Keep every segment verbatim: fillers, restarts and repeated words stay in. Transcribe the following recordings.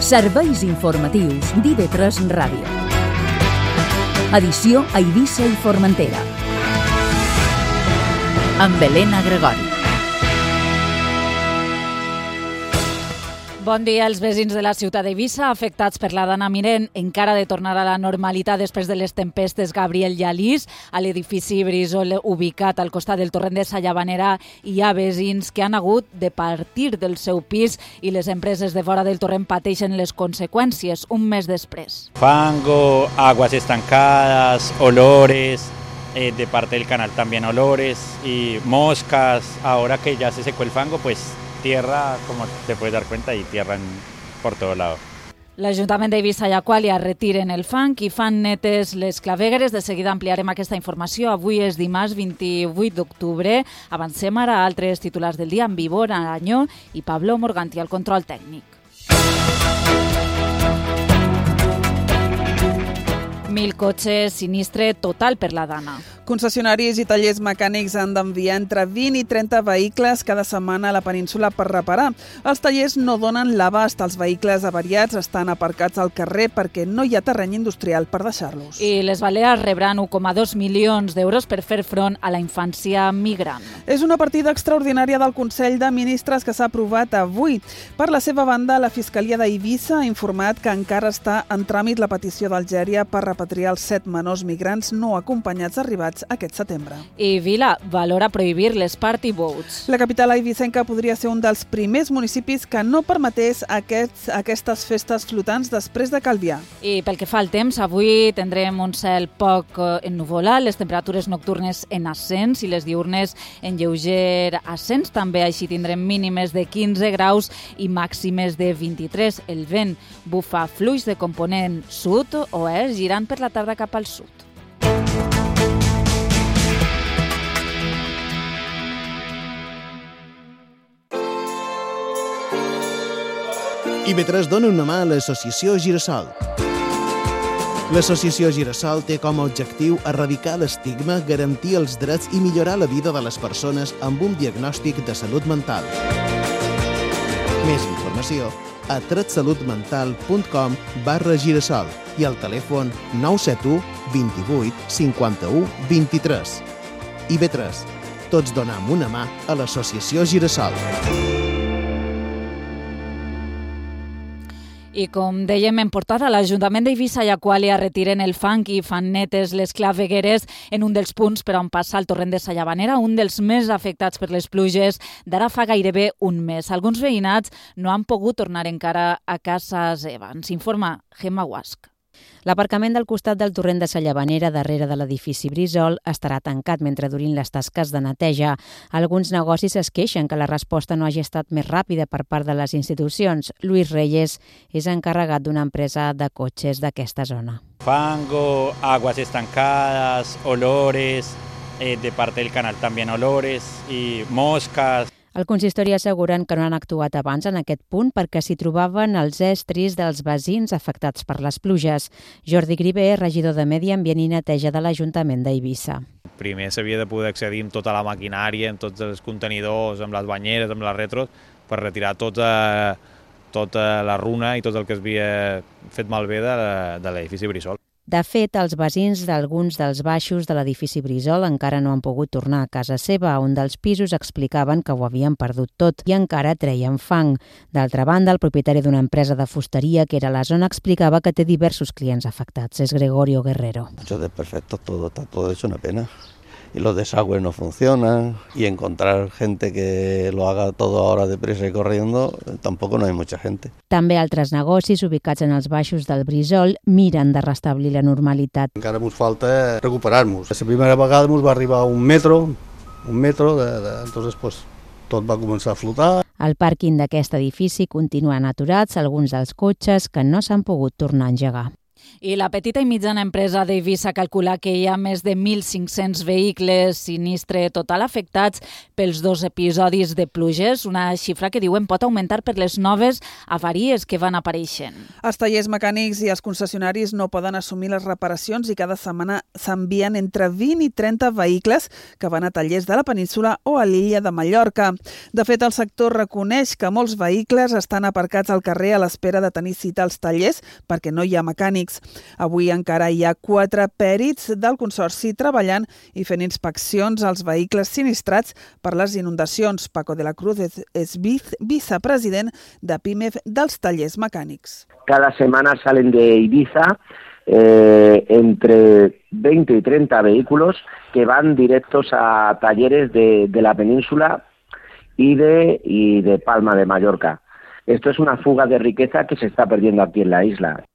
Serveis informatius d'I V tres Ràdio. Edició a Eivissa i Formentera. Amb Helena Gregori. Bon dia als veïns de la ciutat d'Eivissa, afectats per la Dana Mirent, encara de tornar a la normalitat després de les tempestes Gabriel i Alice. A l'edifici Brissol, ubicat al costat del torrent de Sallavanera, hi ha veïns que han hagut de partir del seu pis i les empreses de fora del torrent pateixen les conseqüències un mes després. Fango, aguas estancadas, olores, eh, de parte del canal también olores y moscas. Ahora que ya se secó el fango, pues tierra, como te puedes dar cuenta, y tierra en, por todo lado. L'Ajuntament d'Eivissa i Aquàlia retiren el fang i fan netes les clavegueres. De seguida ampliarem aquesta informació. Avui és dimarts vint-i-vuit d'octubre. Avancem ara a altres titulars del dia amb Vivor Aranyó i Pablo Morganti al control tècnic. Mil cotxes, sinistre total per la Dana. Concessionaris i tallers mecànics han d'enviar entre vint i trenta vehicles cada setmana a la península per reparar. Els tallers no donen l'abast. Els vehicles avariats estan aparcats al carrer perquè no hi ha terreny industrial per deixar-los. I les Balears rebran un coma dos milions d'euros per fer front a la infància migrant. És una partida extraordinària del Consell de Ministres que s'ha aprovat avui. Per la seva banda, la Fiscalia d'Eivissa ha informat que encara està en tràmit la petició d'Algèria per repatriar els set menors migrants no acompanyats arribats aquest setembre. I Vila valora prohibir les party boats. La capital eivissenca podria ser un dels primers municipis que no permetés aquests, aquestes festes flotants després de Calvià. I pel que fa al temps, avui tindrem un cel poc ennuvolat, les temperatures nocturnes en ascens i les diurnes en lleuger ascens. També així tindrem mínimes de quinze graus i màximes de vint-i-tres. El vent bufa fluix de component sud-oest, girant per la tarda cap al sud. I V tres dona una mà a l'Associació Girassol. L'Associació Girassol té com a objectiu erradicar l'estigma, garantir els drets i millorar la vida de les persones amb un diagnòstic de salut mental. Més informació a tretsalutmental punt com barra girassol i al telèfon nou set u, vint-i-vuit, cinquanta-u, vint-i-tres. I V tres. Tots donem una mà a l'Associació Girassol. I com dèiem en portada, l'Ajuntament d'Eivissa i Aquàlia retiren el fang i fan netes les clavegueres en un dels punts per on passa el torrent de Sallavanera, un dels més afectats per les pluges d'ara fa gairebé un mes. Alguns veïnats no han pogut tornar encara a casa seva. Ens informa Gemma Guasc. L'aparcament del costat del torrent de Sallavanera, darrere de l'edifici Brissol, estarà tancat mentre durin les tasques de neteja. Alguns negocis es queixen que la resposta no hagi estat més ràpida per part de les institucions. Luis Reyes és encarregat d'una empresa de cotxes d'aquesta zona. Fango, aguas estancadas, olores, eh, de parte del canal también olores y moscas. El consistori asseguren que no han actuat abans en aquest punt perquè s'hi trobaven els estris dels veïns afectats per les pluges. Jordi Grivé, regidor de Medi Ambient i Neteja de l'Ajuntament d'Eivissa. Primer s'havia de poder accedir amb tota la maquinària, amb tots els contenidors, amb les banyeres, amb les retros, per retirar tota, tota la runa i tot el que es havia fet malbé de, de l'edifici Brissol. De fet, els veïns d'alguns dels baixos de l'edifici Brissol encara no han pogut tornar a casa seva. Un dels pisos explicaven que ho havien perdut tot i encara treien fang. D'altra banda, el propietari d'una empresa de fusteria que era a la zona explicava que té diversos clients afectats. És Gregorio Guerrero. Mucho desperfecto, todo está todo hecho una pena. Y los desagües no funcionan y encontrar gente que lo haga todo ahora deprisa y corriendo, tampoco no hay mucha gente. També altres negocis ubicats en els baixos del Brissol miren de restablir la normalitat. Encara ens falta recuperar-nos. La primera vegada ens va arribar un metro, un metro, de, de, entonces pues, tot va començar a flotar. Al pàrquing d'aquest edifici continuen aturats alguns dels cotxes que no s'han pogut tornar a engegar. I la petita i mitjana empresa d'Eivissa calcula que hi ha més de mil cinc-cents vehicles sinistre total afectats pels dos episodis de pluges, una xifra que diuen pot augmentar per les noves avaries que van apareixent. Els tallers mecànics i els concessionaris no poden assumir les reparacions i cada setmana s'envien entre vint i trenta vehicles que van a tallers de la península o a l'illa de Mallorca. De fet, el sector reconeix que molts vehicles estan aparcats al carrer a l'espera de tenir cita als tallers perquè no hi ha mecànics. Avui encara hi ha quatre pèrits del Consorci treballant i fent inspeccions als vehicles sinistrats per les inundacions. Paco de la Cruz és vicepresident de PIMEF dels tallers mecànics. Cada semana salen de Ibiza eh, entre veinte y treinta vehículos que van directos a talleres de, de la península y de, y de Palma de Mallorca. Esto es una fuga de riqueza que se está perdiendo aquí en la isla.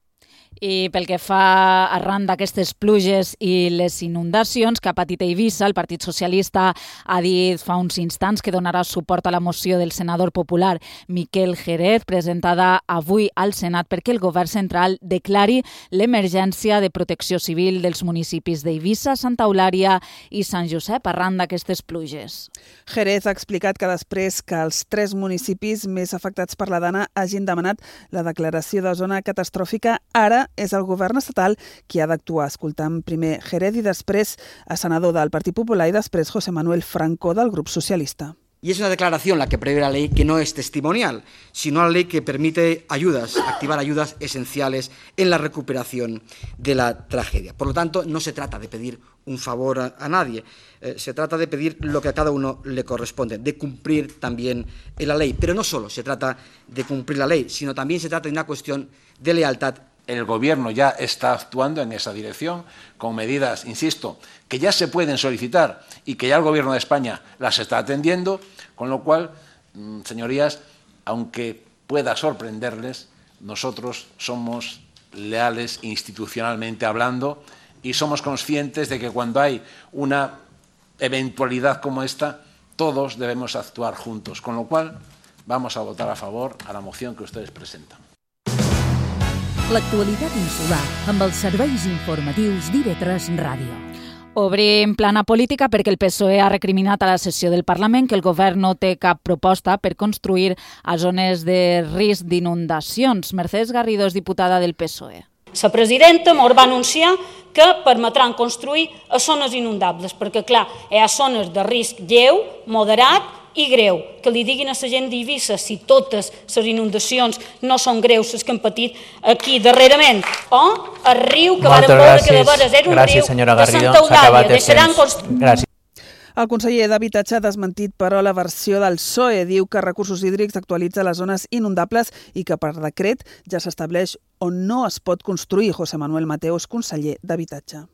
I pel que fa arran d'aquestes pluges i les inundacions que ha patit Eivissa, el Partit Socialista ha dit fa uns instants que donarà suport a la moció del senador popular Miquel Jerez, presentada avui al Senat perquè el govern central declari l'emergència de protecció civil dels municipis d'Eivissa, Santa Eulària i Sant Josep arran d'aquestes pluges. Jerez ha explicat que després que els tres municipis més afectats per la Dana hagin demanat la declaració de zona catastròfica, ara és el govern estatal qui ha d'actuar. Escoltant primer Jerez i després a senador del Partit Popular i després José Manuel Franco del Grup Socialista. Y es una declaración la que prevé la ley que no es testimonial, sino una ley que permite ayudas, activar ayudas esenciales en la recuperación de la tragedia. Por lo tanto, no se trata de pedir un favor a, a nadie, eh, se trata de pedir lo que a cada uno le corresponde, de cumplir también la ley. Pero no solo se trata de cumplir la ley, sino también se trata de una cuestión de lealtad. El Gobierno ya está actuando en esa dirección con medidas, insisto, que ya se pueden solicitar y que ya el Gobierno de España las está atendiendo, con lo cual, señorías, aunque pueda sorprenderles, nosotros somos leales institucionalmente hablando y somos conscientes de que cuando hay una eventualidad como esta, todos debemos actuar juntos, con lo cual vamos a votar a favor a la moción que ustedes presentan. L'actualitat insular amb els serveis informatius d'I V tres Ràdio. Obrim plana política perquè el P S O E ha recriminat a la sessió del Parlament que el govern no té cap proposta per construir a zones de risc d'inundacions. Mercedes Garrido és diputada del P S O E. La presidenta mos va anunciar que permetran construir a zones inundables, perquè, clar, hi ha zones de risc lleu, moderat i greu. Que li diguin a la gent d'Eivissa si totes les inundacions no són greus, les que han patit aquí darrerament. O el riu que varen veure que de veres era un riu de Santa Eulàlia. Deixaran construir... El conseller d'Habitatge ha desmentit, però, la versió del P S O E. Diu que Recursos Hídrics actualitza les zones inundables i que per decret ja s'estableix on no es pot construir. José Manuel Mateos, conseller d'Habitatge.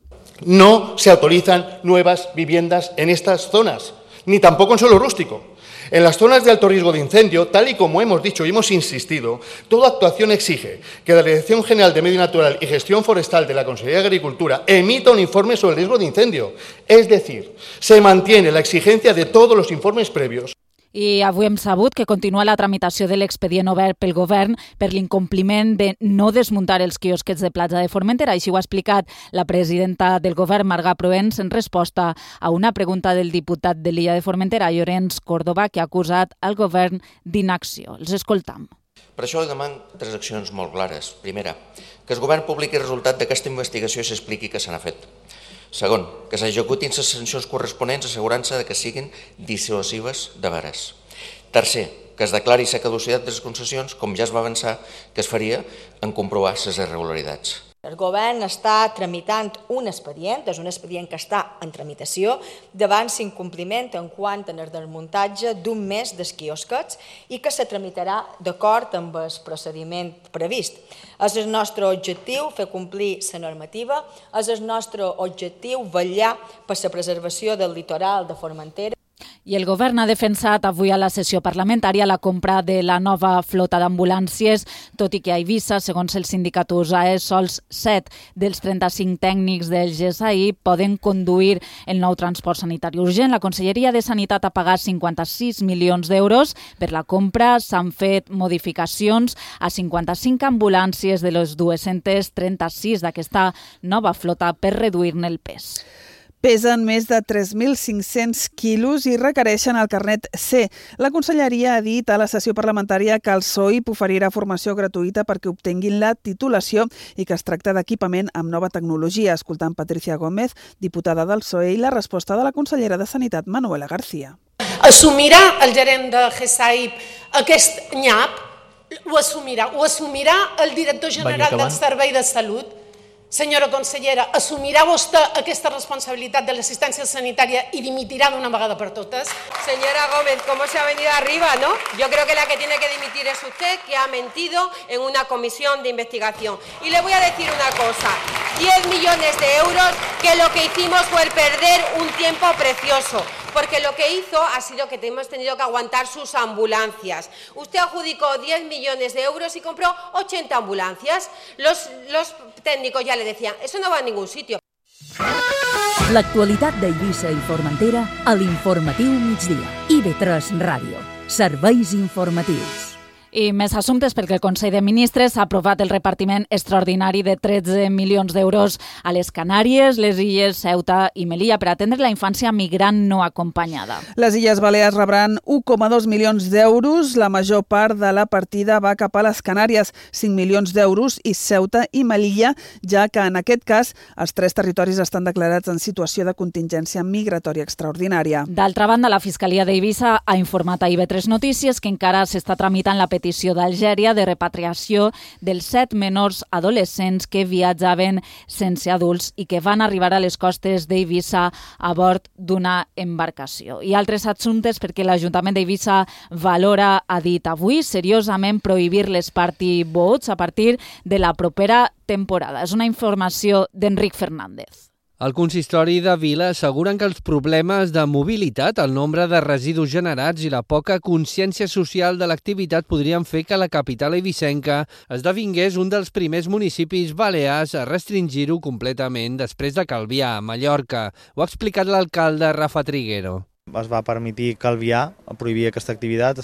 No se autorizan nuevas viviendas en estas zonas, ni tampoco en suelo rústico. En las zonas de alto riesgo de incendio, tal y como hemos dicho y hemos insistido, toda actuación exige que la Dirección General de Medio Natural y Gestión Forestal de la Consellería de Agricultura emita un informe sobre el riesgo de incendio. Es decir, se mantiene la exigencia de todos los informes previos. I avui hem sabut que continua la tramitació de l'expedient obert pel govern per l'incompliment de no desmuntar els quiosquets de platja de Formentera. Així ho ha explicat la presidenta del govern, Marga Proens, en resposta a una pregunta del diputat de l'illa de Formentera, Llorenç Córdoba, que ha acusat el govern d'inacció. Els escoltam. Per això li demano tres accions molt clares. Primera, que el govern publiqui el resultat d'aquesta investigació i s'expliqui què se n'ha fet. Segon, que s'executin les sancions corresponents assegurant-se que siguin dissuasives de veres. Tercer, que es declari la caducitat de les concessions, com ja es va avançar que es faria en comprovar les irregularitats. El govern està tramitant un expedient, és un expedient que està en tramitació, davant l'incompliment en quant al desmuntatge d'un mes dels quiosquets i que se tramitarà d'acord amb el procediment previst. És el nostre objectiu fer complir la normativa, és el nostre objectiu vetllar per la preservació del litoral de Formentera. I el govern ha defensat avui a la sessió parlamentària la compra de la nova flota d'ambulàncies, tot i que a Eivissa, segons el sindicat U S A E, sols set dels trenta-cinc tècnics del G S A I poden conduir el nou transport sanitari urgent. La Conselleria de Sanitat ha pagat cinquanta-sis milions d'euros per la compra. S'han fet modificacions a cinquanta-cinc ambulàncies de les dues-centes trenta-sis d'aquesta nova flota per reduir-ne el pes. Pesen més de tres mil cinc-cents quilos i requereixen el carnet C. La Conselleria ha dit a la sessió parlamentària que el S O I P oferirà formació gratuïta perquè obtenguin la titulació i que es tracta d'equipament amb nova tecnologia. Escoltant Patricia Gómez, diputada del P S O E, i la resposta de la consellera de Sanitat, Manuela García. Assumirà el gerent de G S A I P aquest nyap? Ho assumirà. Ho assumirà el director general del Servei de Salut? Senyora consellera, assumirà vostè aquesta responsabilitat de l'assistència sanitària y dimitirá de una vegada per totes? Señora Gómez, ¿cómo se ha venido arriba, no? Yo creo que la que tiene que dimitir es usted, que ha mentido en una comisión de investigación. Y le voy a decir una cosa, diez millones de euros, que lo que hicimos fue perder un tiempo precioso. Porque lo que hizo ha sido que hemos tenido que aguantar sus ambulancias. Usted adjudicó diez millones de euros y compró ochenta ambulancias. Los, los técnicos ya le decían, eso no va a ningún sitio. L'actualitat d'Eivissa i Formentera a l'Informatiu Migdia. I ve tres Ràdio. Serveis informatius. I més assumptes perquè el Consell de Ministres ha aprovat el repartiment extraordinari de tretze milions d'euros a les Canàries, les Illes Ceuta i Melilla per atendre la infància migrant no acompanyada. Les Illes Balears rebran un coma dos milions d'euros. La major part de la partida va cap a les Canàries, cinc milions d'euros, i Ceuta i Melilla, ja que en aquest cas els tres territoris estan declarats en situació de contingència migratòria extraordinària. D'altra banda, la Fiscalia d'Eivissa ha informat a I V tres Notícies que encara s'està tramitant la petició d'Algèria de repatriació dels set menors adolescents que viatjaven sense adults i que van arribar a les costes d'Eivissa a bord d'una embarcació. I altres assumptes perquè l'Ajuntament d'Eivissa valora, ha dit avui, seriosament prohibir les party boats a partir de la propera temporada. És una informació d'Enric Fernández. Al consistori de Vila asseguren que els problemes de mobilitat, el nombre de residus generats i la poca consciència social de l'activitat podrien fer que la capital eivissenca esdevingués un dels primers municipis balears a restringir-ho completament després de Calvià, a Mallorca. Ho ha explicat l'alcalde Rafa Triguero. Es va permitir Calvià, prohibir aquesta activitat.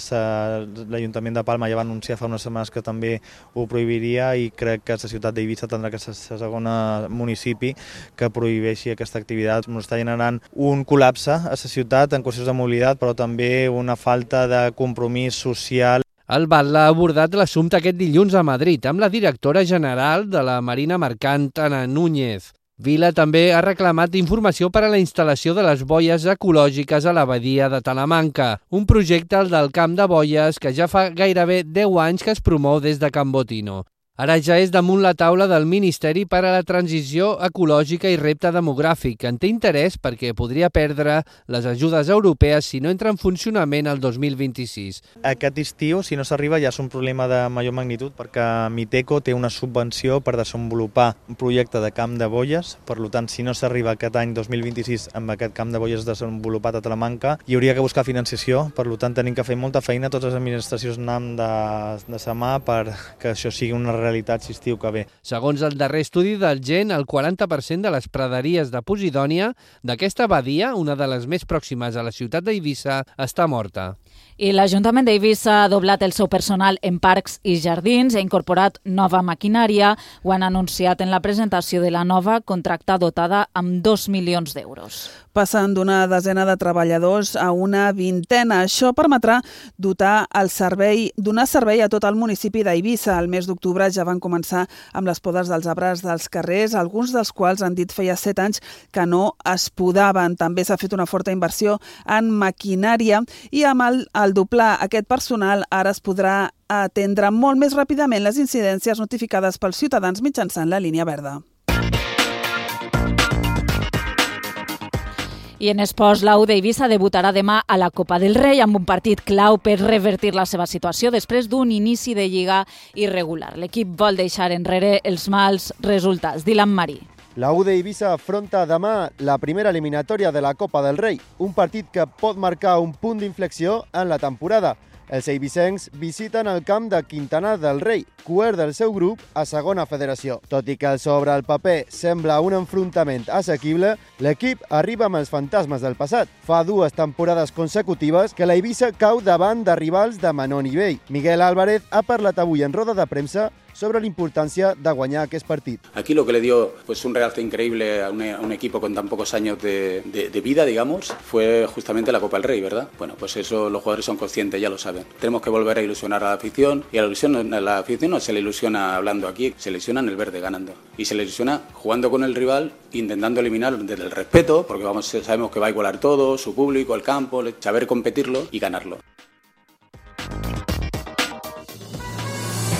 L'Ajuntament de Palma ja va anunciar fa unes setmanes que també ho prohibiria i crec que la ciutat d'Eivissa tindrà que ser el segon municipi que prohibeixi aquesta activitat. Ens està generant un col·lapse a la ciutat en qüestions de mobilitat, però també una falta de compromís social. El Batlle ha abordat l'assumpte aquest dilluns a Madrid amb la directora general de la Marina Mercant, Ana Núñez. Vila també ha reclamat informació per a la instal·lació de les boies ecològiques a la badia de Talamanca, un projecte, el del Camp de Boies, que ja fa gairebé deu anys que es promou des de Can Botino. Ara ja és damunt la taula del Ministeri per a la Transició Ecològica i Repte Demogràfic. En té interès perquè podria perdre les ajudes europees si no entra en funcionament el dos mil vint-i-sis. Aquest estiu, si no s'arriba, ja és un problema de major magnitud perquè Miteco té una subvenció per desenvolupar un projecte de camp de boies. Per tant, si no s'arriba aquest any dos mil vint-i-sis amb aquest camp de boies desenvolupat a Talamanca, hi hauria que buscar financiació. Per tant, tenim que fer molta feina, totes les administracions n'hem de, de sa mà perquè això sigui una realitat si estiu que ve. Segons el darrer estudi del G E N, el quaranta per cent de les praderies de Posidònia d'aquesta badia, una de les més pròximes a la ciutat d'Eivissa, està morta. I l'Ajuntament d'Eivissa ha doblat el seu personal en parcs i jardins i ha incorporat nova maquinària. Ho han anunciat en la presentació de la nova contracta dotada amb dos milions d'euros. Passen d'una desena de treballadors a una vintena. Això permetrà dotar el servei, donar servei a tot el municipi d'Eivissa. El mes d'octubre ja van començar amb les podes dels arbres dels carrers, alguns dels quals han dit feia set anys que no es podaven. També s'ha fet una forta inversió en maquinària i amb el, el doblar aquest personal ara es podrà atendre molt més ràpidament les incidències notificades pels ciutadans mitjançant la línia verda. I en esports, l'A U d'Eivissa debutarà demà a la Copa del Rei amb un partit clau per revertir la seva situació després d'un inici de lliga irregular. L'equip vol deixar enrere els mals resultats. Dylan Marí. La U de Eivissa afronta demà la primera eliminatòria de la Copa del Rei, un partit que pot marcar un punt d'inflexió en la temporada. Els eivissencs visiten el camp de Quintana del Rei, quart del seu grup a segona federació. Tot i que sobre el paper sembla un enfrontament assequible, l'equip arriba amb els fantasmes del passat. Fa dues temporades consecutives que l'Eivissa cau davant de rivals de menor nivell. Miguel Álvarez ha parlat avui en roda de premsa sobre la importancia de guanyar aquest partit. Aquí lo que le dio pues, un realce increíble a un, a un equipo con tan pocos años de, de, de vida, digamos, fue justamente la Copa del Rey, ¿verdad? Bueno, pues eso los jugadores son conscientes, ya lo saben. Tenemos que volver a ilusionar a la afición y a la, ilusión, a la afición no se le ilusiona hablando aquí, se le ilusiona en el verde ganando. Y se le ilusiona jugando con el rival, intentando eliminar desde el respeto, porque vamos, sabemos que va a igualar todo, su público, el campo, saber competirlo y ganarlo.